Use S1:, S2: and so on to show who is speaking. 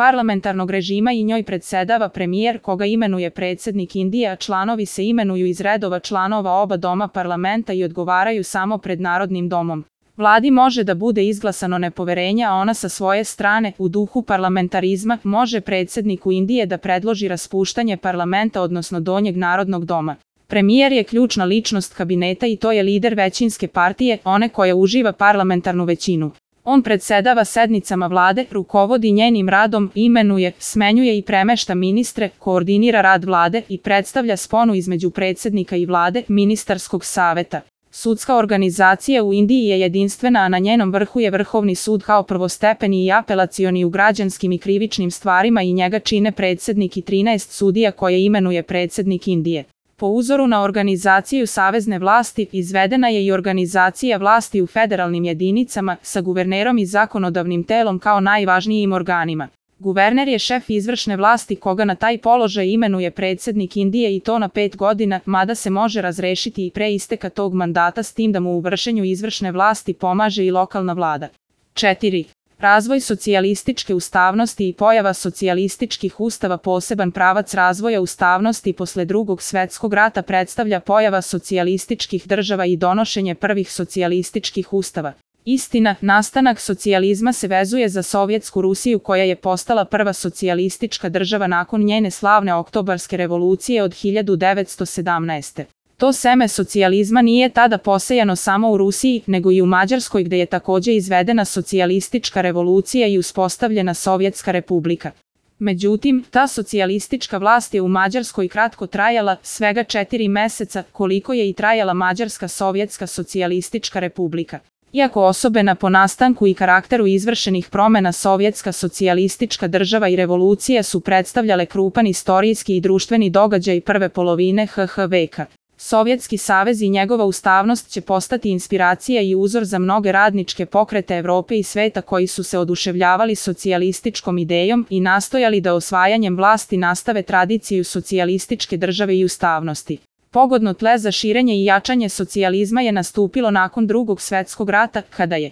S1: parlamentarnog režima i njoj predsedava premijer koga imenuje predsjednik Indije, a članovi se imenuju iz redova članova oba doma parlamenta i odgovaraju samo pred Narodnim domom. Vladi može da bude izglasano nepoverenje, a ona sa svoje strane, u duhu parlamentarizma, može predsjedniku Indije da predloži raspuštanje parlamenta odnosno donjeg Narodnog doma. Premijer je ključna ličnost kabineta i to je lider većinske partije, one koja uživa parlamentarnu većinu. On predsedava sednicama vlade, rukovodi njenim radom, imenuje, smenjuje i premešta ministre, koordinira rad vlade i predstavlja sponu između predsjednika i vlade, ministarskog saveta. Sudska organizacija u Indiji je jedinstvena, a na njenom vrhu je Vrhovni sud kao prvostepeni i apelacioni u građanskim i krivičnim stvarima i njega čine predsjednik i 13 sudija koje imenuje predsjednik Indije. Po uzoru na organizaciju savezne vlasti, izvedena je i organizacija vlasti u federalnim jedinicama, sa guvernerom i zakonodavnim telom kao najvažnijim organima. Guverner je šef izvršne vlasti koga na taj položaj imenuje predsjednik Indije i to na 5 godina, mada se može razrešiti i pre isteka tog mandata s tim da mu u vršenju izvršne vlasti pomaže i lokalna vlada. 4. Razvoj socijalističke ustavnosti i pojava socijalističkih ustava. Poseban pravac razvoja ustavnosti posle Drugog svjetskog rata predstavlja pojava socijalističkih država i donošenje prvih socijalističkih ustava. Istina, nastanak socijalizma se vezuje za Sovjetsku Rusiju koja je postala prva socijalistička država nakon njene slavne Oktobarske revolucije od 1917. To seme socijalizma nije tada posejano samo u Rusiji, nego i u Mađarskoj gde je također izvedena socijalistička revolucija i uspostavljena Sovjetska republika. Međutim, ta socijalistička vlast je u Mađarskoj kratko trajala, svega 4 meseca, koliko je i trajala Mađarska Sovjetska socijalistička republika. Iako osobena po nastanku i karakteru izvršenih promjena Sovjetska socijalistička država i revolucija su predstavljale krupan istorijski i društveni događaj prve polovine HH veka. Sovjetski savez i njegova ustavnost će postati inspiracija i uzor za mnoge radničke pokrete Evrope i sveta koji su se oduševljavali socijalističkom idejom i nastojali da osvajanjem vlasti nastave tradiciju socijalističke države i ustavnosti. Pogodno tle za širenje i jačanje socijalizma je nastupilo nakon Drugog svjetskog rata, kada je